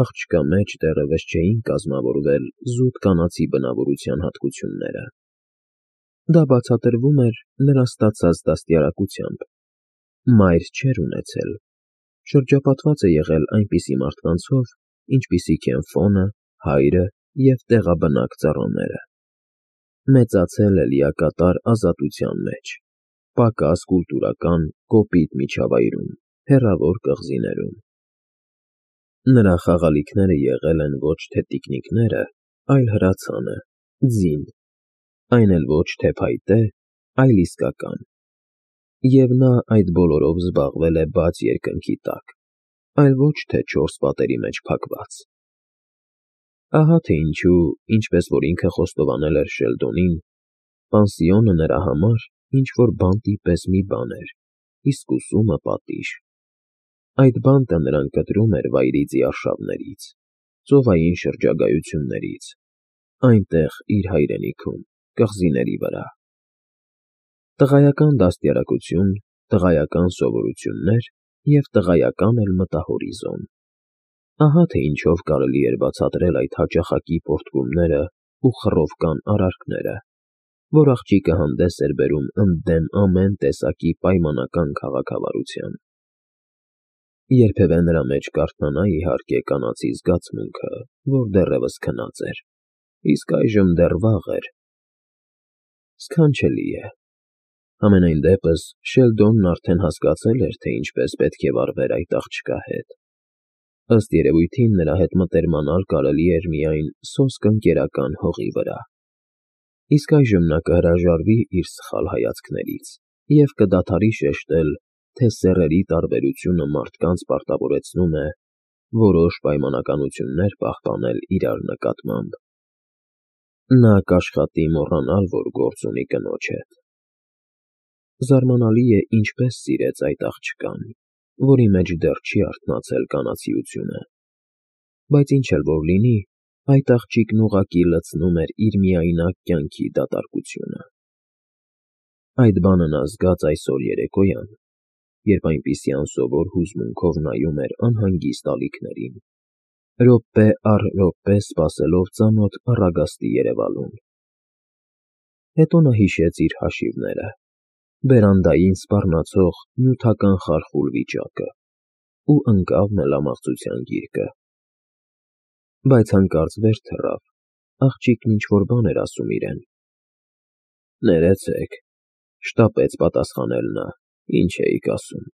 աղջկա մեջ դեռևս չէին կազմավորվել զուտ կանացի բնավորության հատկությունները։ Դա բացատրվում էր նրա ստացած դաստիարակությամբ. մայր չէր ունեցել, շրջապատված է եղել այնպիսի մարդկանցով, ինչպիսիք են Ֆոնը, հայրը և տեղաբնակ ծառաները։ Մեծացել է լիակատար ազատության մեջ, պակաս կուլտուրական, կոպիտ միջավայրում, հեռավոր կղզիներում։ Նրա խաղալիքները եղել են ոչ թե տիկնիկները, այլ հրացանը, ձին, այն էլ ոչ թե փայտե, այլ իսկական։ Եվ նա այդ բոլորով զբաղվել է բաց երկնքի տակ, այլ ոչ թե չորս պատերի մեջ փակված։ Ահա թե ինչու, ինչպես որ ինքը խոստովանել էր Շելդոնին, պանսիոնը նրա համար ինչ-որ բանտի պես մի բան էր, իսկ ուսումը պատիժ։ Այդ բանտը նրան կտրում էր վայրիծի արշավներից, ծովային շրջագայություններից, այնտեղ իր հայրենիքում, կղզիների վրա։ Տղայական դաստիարակություն, տղայական սովորություններ և տղայական էլ մտահորիզոն։ Ահա թե ինչով կարելի էր բացատրել այդ հաճախակի պոռթկումները ու խռովկան արարքները, որ աղջիկը հանդես էր բերում ընդդեմ ամեն տեսակի պայմանական քաղաքավարության։ Երբևէ նրա մեջ կարթնանա, իհարկե, կանացի զգացմունքը, որ դեռևս քնած էր, իսկ այժմ դեռ վաղ էր։ Սքանչելի է։ Համենայն դեպս Շելդոնն արդեն հասկացել էր, թե ինչպես պետք է վարվեր այդ աղջկա հետ։ Ըստ երևույթին նրա հետ մտերմանալ կարելի էր միայն սոսկ ընկերական հողի վրա։ Իսկ այժմ նա կհրաժարվի իր սխալ հայացքներից և կդադարի շեշտել, թե սեռերի տարբերությունը մարդկանց պարտավորեցնում է որոշ պայմանականություններ պահպանել իրար նկատմամբ։ Նա կաշխատի մոռանալ, որ գործ ունի կնոջ հետ։ Զարմանալի է, ինչպես սիրեց այդ աղջկան, որի մեջ դեռ չի արթնացել կանացիությունը։ Բայց ինչ էլ որ լինի, այդ աղջիկն ուղղակի լցնում էր իր միայնակ կյանքի դատարկությունը։ Այդ բանը նա զգաց այսօր երեկոյան, երբ այնպիսի անսովոր հուզմունքով նայում էր անհանգիստ ալիքներին, րոպե առ րոպե սպասելով ծանոթ առագաստի երևալուն։ Հետո նա հիշեց իր հաշիվները, բերանդային սպառնացող նյութական խարխուլ վիճակը ու ընկավ մելամաղձության գիրկը։ Բայց հանկարծ վեր թռավ, աղջիկն ինչ-որ բան էր ասում իրեն։ Ներեցեք, շտապեց պատասխանել նա, ինչ էիք ասում։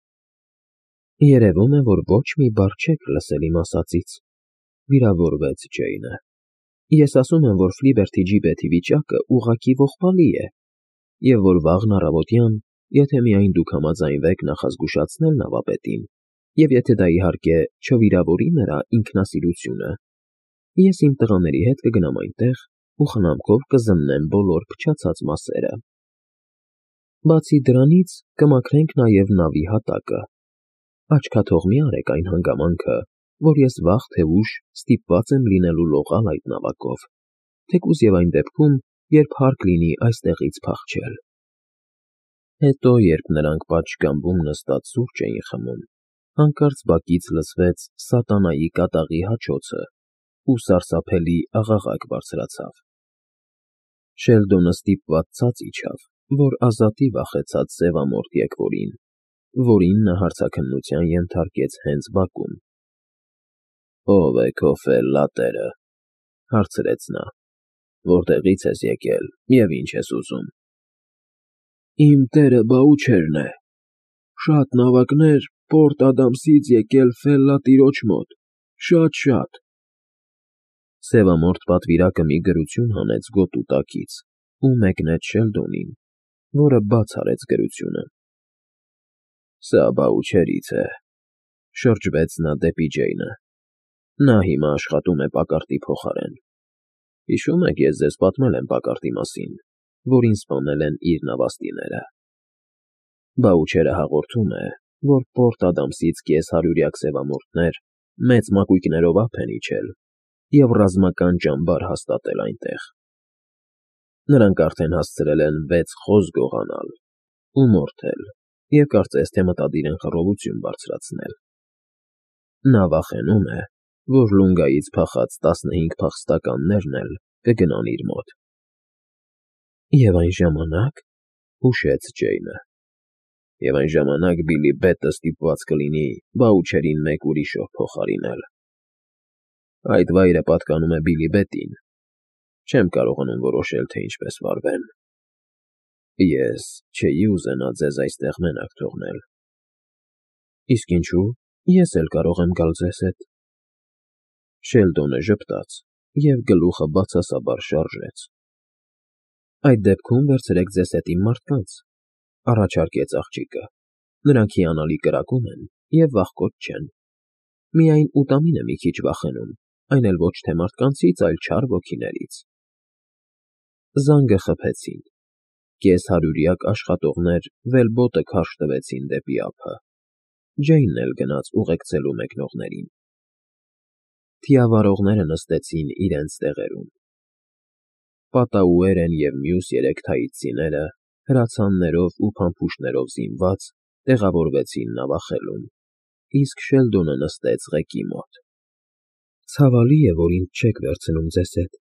Երևում է, որ ոչ մի բառ չեք լսել իմ ասածից, վիրավորվեց Ջեյնը։ Ես ասում եմ, որ Ֆլիբերթի ջիբեթի վիճակը ուղղակի ողբալի է, և որ վաղն առավոտյան, եթե միայն դուք համաձայնվեք նախազգուշացնել նավապետին, և եթե դա իհարկե չվիրավորի նրա ինքնասիրությունը, ես իմ տղաների հետ կգնամ այնտեղ ու խնամքով կզննեմ բոլոր փչացած մասերը։ Բացի դրանից կմաքրենք նաև նավի հատակը։ Աչքաթող մի արեք այն հանգամանքը, որ ես վաղ թե ուշ ստիպված եմ լինելու լողալ այդ նավակով, թեկուզ և այն դեպքում, երբ հարկ լինի այստեղից փախչել։ Հետո, երբ նրանք պատշգամբում նստած սուրճ էին խմում, հանկարծ բակից լսվեց սատանայի կատաղի հաչոցը ու սարսափելի աղաղակ բարձրացավ։ Շելդոնը ստիպված ցած իջավ, որ ազատի վախեցած սևամորթ եկվորին, որին նա հարցաքննության ենթարկեց հենց բակում։ Ո՞վ է քո ֆել֊լատերը, հարցրեց նա, որտեղի՞ց ես եկել և ինչ ես ուզում։ Իմ տերը Բաուչերն է, շատ նավակներ Պորտ Ադամսից եկել ֆել֊լատիրոջ մոտ, շատ։ Սևամորթ պատվիրակը մի գրություն հանեց գոտու տակից ու մեկնեց Շելդոնին, որը բաց արեց գրությունը։ Սա Բաուչերից է, շրջվեց նա դեպի Ջեյնը։ Նա հիմա աշխատում է Պակարտի փոխարեն։ Հիշում եք, ես ձեզ պատմել եմ Պակարտի մասին, որին սպանել են իր նավաստիները։ Բաուչերը հաղորդում է, որ Պորտ Ադամսից կես-հարյուրյակ սևամորթներ մեծ մակույկներով ափ են իջել և ռազմական ճամբար հաստատել այնտեղ։ Նրանք արդեն հասցրել են 6 խոզ գողանալ ու մորթել և կարծես թե մտադիր են խռովություն բարձրացնել։ Նա վախենում է, որ Լունգայից փախած 15 փախստականներն էլ կգնան իր մոտ։ Եվ այն ժամանակ, հուշեց Ջեյնը, և այն ժամանակ Բիլի Բետը ստիպված կլինի Բաուչերին մեկ ուրիշով փոխարինել։ Այդ վայրը պատկանում է Բիլի Բետին։ Չեմ կարողանում որոշել, թե ինչպես վարվեմ։ Ես չէի ուզենա ձեզ այստեղ մենակ թողնել։ Իսկ ինչու, ես էլ կարող եմ գալ ձեզ հետ։ Շելդոնը ժպտաց և գլուխը բացասաբար շարժեց։ Այդ դեպքում վերցրեք ձեզ հետ իմ մարդկանց, առաջարկեց աղջիկը։ Նրանք հիանալի կրակում են և վախկոտ չեն։ Միայն ուտամին է մի քիչ վախենում, այն էլ ոչ թե մարդկանցից, այլ չար ոգիներից։ Զանգը խփեցին։ Կես-հարյուրյակ աշխատողներ վելբոտը քարշ տվեցին դեպի ափը։ Ջեյնն էլ գնաց ուղեկցելու մեկնողներին։ Թիավարողները նստեցին իրենց տեղերում։ Պատաուերեն և մյուս երեք թայծիները, հրացաններով ու փամփուշտներով զինված, տեղավորվեցին նավախելում, իսկ Շելդոնը նստեց ղեկի մոտ։ Ցավալի է, որ ինձ չեք վերցնում ձեզ հետ,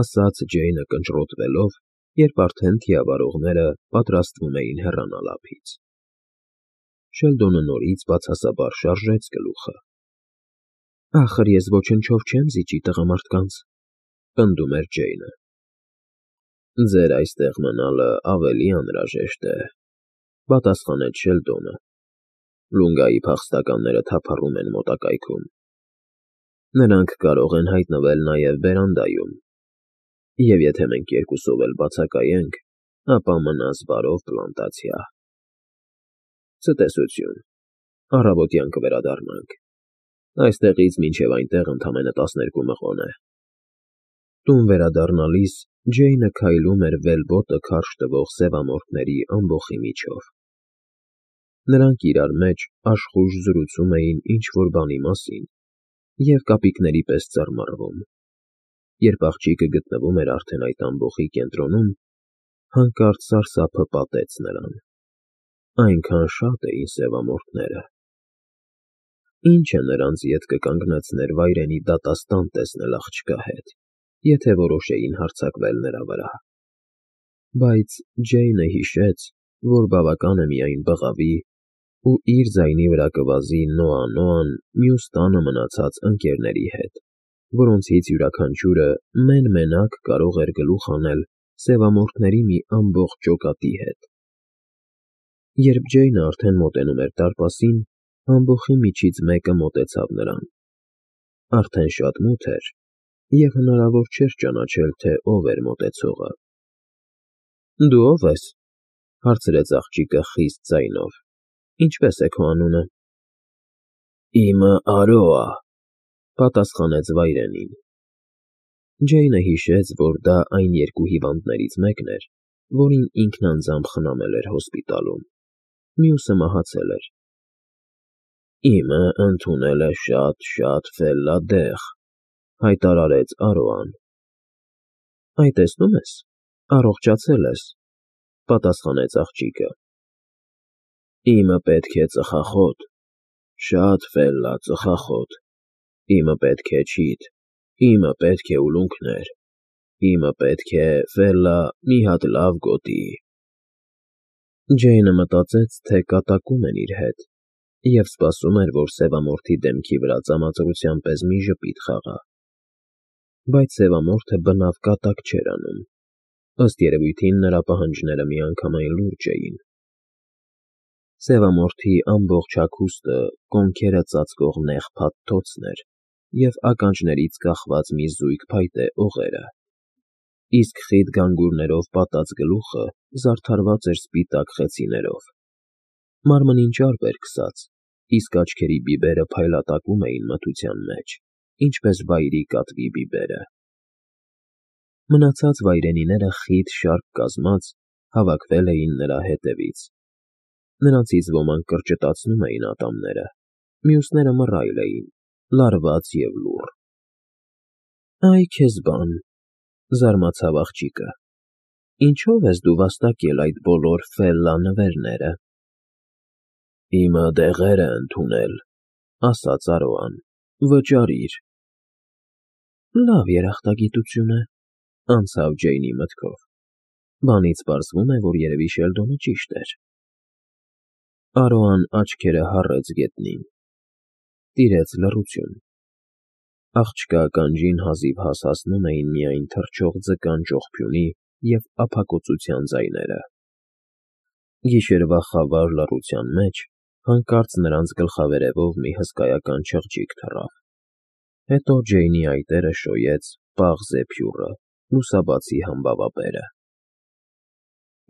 ասաց Ջեյնը կնճռոտվելով, երբ արդեն թիավարողները պատրաստվում էին հեռանալ ափից։ Շելդոնը նորից բացասաբար շարժեց գլուխը։ Ախր ես ոչնչով չեմ զիջի տղամարդկանց, պնդում էր Ջեյնը։ Ձեր այստեղ մնալը ավելի անհրաժեշտ է, պատասխանեց Շելդոնը։ Լունգայի փախստականները թափառում են մոտակայքում։ Նրանք կարող են հայտնվել նաև բերանդայում։ Եվ եթե մենք երկուսով էլ բացակայենք, ապա մնաս բարով պլանտացիա։ Ցտեսություն, առավոտյան կվերադառնանք։ Այստեղից մինչև այնտեղ ընդամենը 12 մղոն է։ Տուն վերադառնալիս Ջեյնը քայլում էր վելբոտը քարշ տվող սևամորթների ամբոխի միջով։ Նրանք իրար մեջ աշխույժ զրուցում էին ինչ-որ բանի մասին և կապիկների պես ծռմռվում։ Երբ աղջիկը գտնվում էր արդեն այդ ամբոխի կենտրոնում, հանկարծ սարսափը պատեց նրան։ Այնքան շատ էին սևամորթները։ Ինչը նրանց ետ կկանգնեցներ վայրենի դատաստան տեսնել աղջկա հետ, եթե որոշեին հարձակվել նրա վրա։ Բայց Ջեյնը հիշեց, որ բավական է միայն բղավի ու իր ձայնի վրա կվազի Նոա-Նոան մյուս տանը մնացած ընկերների հետ, որոնցից յուրաքանչյուրը մեն֊մենակ կարող էր գլուխ հանել սևամորթների մի ամբողջ ջոկատի հետ։ Երբ Ջեյնը արդեն մոտենում էր դարպասին, ամբոխի միջից մեկը մոտեցավ նրան։ Արդեն շատ մութ էր, և հնարավոր չէր ճանաչել, թե ով էր մոտեցողը։ Դու ո՞վ ես, հարցրեց աղջիկը խիստ ձայնով։ Ինչպե՞ս է քո անունը։ Իմը Արոա, պատասխանեց վայրենին։ Ջեյնը հիշեց, որ դա այն երկու հիվանդներից մեկն էր, որին ինքն անձամբ խնամել էր հոսպիտալում։ Մյուսը մահացել էր։ Իմը ընդունել է շատ ֆելլադեղ, հայտարարեց Արոան։ Այ տեսնում ես, առողջացել ես, պատասխանեց աղջիկը։ Իմը պետք է ծխախոտ, շատ ֆելլա ծխախոտ, իմը պետք է չիթ, իմը պետք է ուլունքներ, իմը պետք է ֆելլա մի հատ լավ գոտի։ Ջեյնը մտածեց, թե կատակում են իր հետ, և սպասում էր, որ սևամորթի դեմքի վրա ծամածրության պես մի ժպիտ խաղա։ Բայց սևամորթը բնավ կատակ չէր անում։ Ըստ երևույթին նրա պահանջները միանգամայն լուրջ էին։ Սևամորթի ամբողջ հագուստը կոնքերը ծածկող նեղ փաթթոցն էր և ականջներից կախված մի զույգ փայտե օղերը, իսկ խիտ գանգուրներով պատած գլուխը զարդարված էր սպիտակ խեցիներով։ Մարմնին ճարպ էր քսած, իսկ աչքերի բիբերը փայլատակում էին մթության մեջ, ինչպես վայրի կատվի բիբերը։ Մնացած վայրենիները խիտ շարք կազմած հավաքվել էին նրա հետևից։ Նրանցից ոմանք կրճտացնում էին ատամները, մյուսները մռայլ էին, լարված և լուռ։ Այ քեզ բան, զարմացավ աղջիկը, ինչո՞վ ես դու վաստակել այդ բոլոր ֆելլա նվերները։ Իմը դեղեր է ընդունել, ասաց Արոան, Վճարիր։ Լավ երախտագիտություն է, անցավ Ջեյնի մտքով։ Բանից պարզվում է, որ երևի Շելդոնը ճիշտ էր։ Արոան աչքերը հառեց գետնին։ Տիրեց լռություն։ Աղջկա ականջին հազիվ հասնում էին միայն թռչող ձկան ճողփյունի և ափակոծության ձայները։ Գիշերվա խավար լռության մեջ հանկարծ նրանց գլխավերևով մի հսկայական չղջիկ թռավ։ Հետո Ջեյնի այտերը շոյեց պաղ զեփյուռը, լուսաբացի համբավաբերը։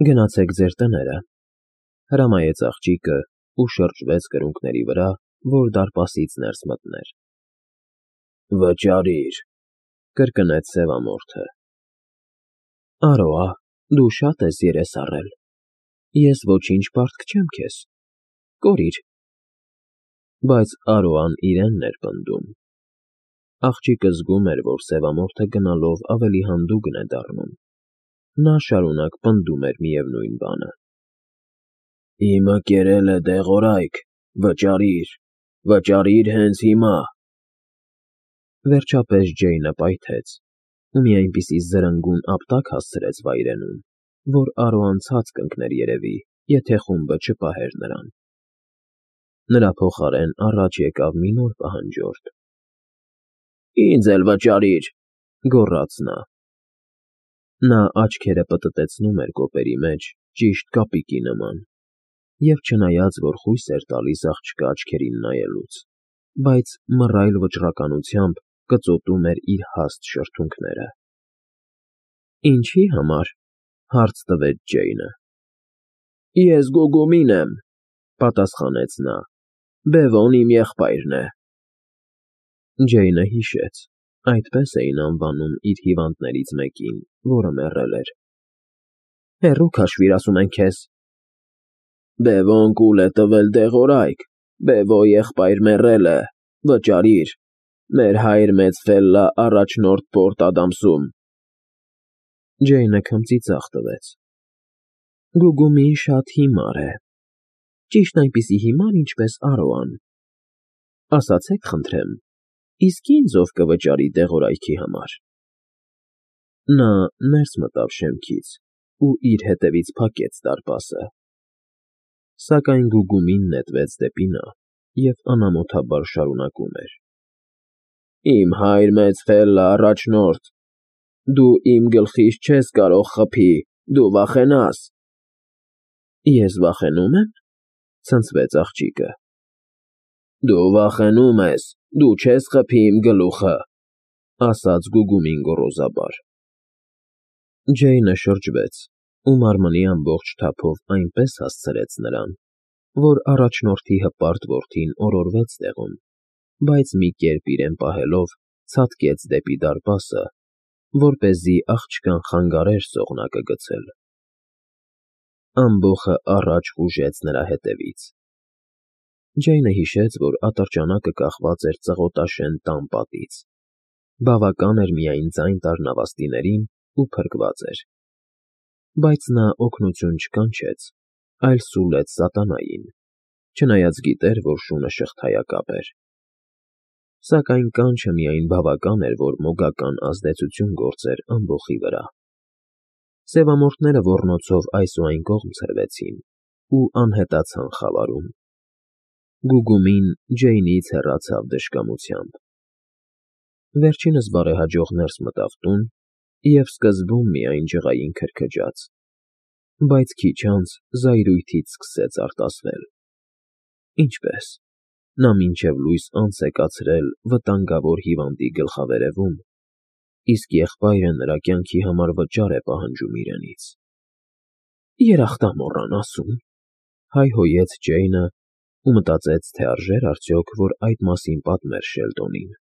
Գնացեք ձեր տները, հրամայեց աղջիկը ու շրջվեց կրունկների վրա, որ դարպասից ներս մտներ։ Վճարիր, կրկնեց սևամորթը։ Արոա, դու շատ ես երես առել։ Ես ոչինչ պարտք չեմ քեզ։ Կորիր։ Բայց Արոան իրենն էր պնդում։ Աղջիկը զգում էր, որ սևամորթը գնալով ավելի հանդուգն է դառնում։ Նա շարունակ պնդում էր միևնույն բանը։ Իմը կերել է դեղորայք, վճարիր հենց հիմա։ Վերջապես Ջեյնը պայթեց ու մի այնպիսի զրնգուն ապտակ հասցրեց վայրենուն, որ Արոան ցած կընկներ երևի, եթե խումբը չպահեր նրան։ Նրա փոխարեն առաջ եկավ մի նոր պահանջորդ։ Ինձ էլ վճարիր, գոռաց նա։ Նա աչքերը պտտեցնում էր կոպերի մեջ, ճիշտ կապիկի նման, և չնայած, որ խույս էր տալիս աղջկա աչքերին նայելուց, բայց մռայլ վճռականությամբ կծոտում էր իր հաստ շրթունքները։ Ինչի համար, հարց տվեց Ջեյնը։ Ես Գուգումին եմ, պատասխանեց նա, Բևոն իմ եղբայրն է։ Ջեյնը հիշեց, այդպես էին անվանում իր հիվանդներից մեկին, որը մեռել էր։ Հեռու քաշվիր, ասում են քեզ։ Բևոն կուլ է տվել դեղորայք, Բևո եղբայր մեռել է, վճարիր, մեր հայր մեծ Ֆելլա առաջնորդ Պորտ Ադամսում։ Ջեյնը քմծիծաղ տվեց։ Գուգումին շատ հիմար է։ Ճիշտ այնպիսի հիմար, ինչպես Արոան։ Ասացեք խնդրեմ, իսկ ինձ ով կվճարի դեղորայքի համար։ Նա ներս մտավ շեմքից ու իր հետևից փակեց դարպասը։ Սակայն Գուգումին նետվեց դեպի նա և անամոթաբար շարունակում էր. Իմ հայր մեծ Ֆելլա առաջնորդ, դու իմ գլխից չես կարող խփի, դու վախենաս։ Ես վախենո՞ւմ եմ, ցնցվեց աղջիկը։ Դու վախենում ես, դու չես խփի իմ գլուխը, ասաց Գուգումին գոռոզաբար։ Ջեյնը շրջվեց ու մարմնի ամբողջ թափով այնպես հասցրեց նրան, որ առաջնորդի հպարտ որդին օրորվեց տեղում, բայց մի կերպ իրեն պահելով ցատկեց դեպի դարպասը, որպեսզի աղջկան խանգարեր սողնակը գցել։ Ամբոխը առաջ խուժեց նրա հետևից։ Ջեյնը հիշեց, որ ատրճանակը կախված էր ծղոտաշեն տան պատից։ Բավական էր միայն ձայն տար նավաստիներին ու փրկված էր։ Բայց նա օգնություն չկանչեց, այլ սուլեց սատանային, չնայած գիտեր, որ շունը շղթայակապ էր։ Սակայն կանչը միայն բավական էր, որ մոգական ազդեցություն գործեր ամբոխի վրա։ Սևամորթները ոռնոցով այս ու այն կողմ ցրվեցին ու անհետացան խավարում։ Գուգումին Ջեյնից հեռացավ դժկամությամբ։ Վերջինս բարեհաջող ներս մտավ տուն և սկզբում միայն ջղային քրքջաց, բայց քիչ անց զայրույթից սկսեց արտասվել։ Ինչպես։ Նա մինչև լույս անց է կացրել վտանգավոր հիվանդի գլխավերևում, իսկ եղբայրը նրա կյանքի համար վճար է պահանջում իրենից։ Երախտամոռան ասում, հայհոյեց Ջեյնը ու մտածեց, թե արժե՞ր արդյոք, որ այդ մասին պատմեր Շելդոնին։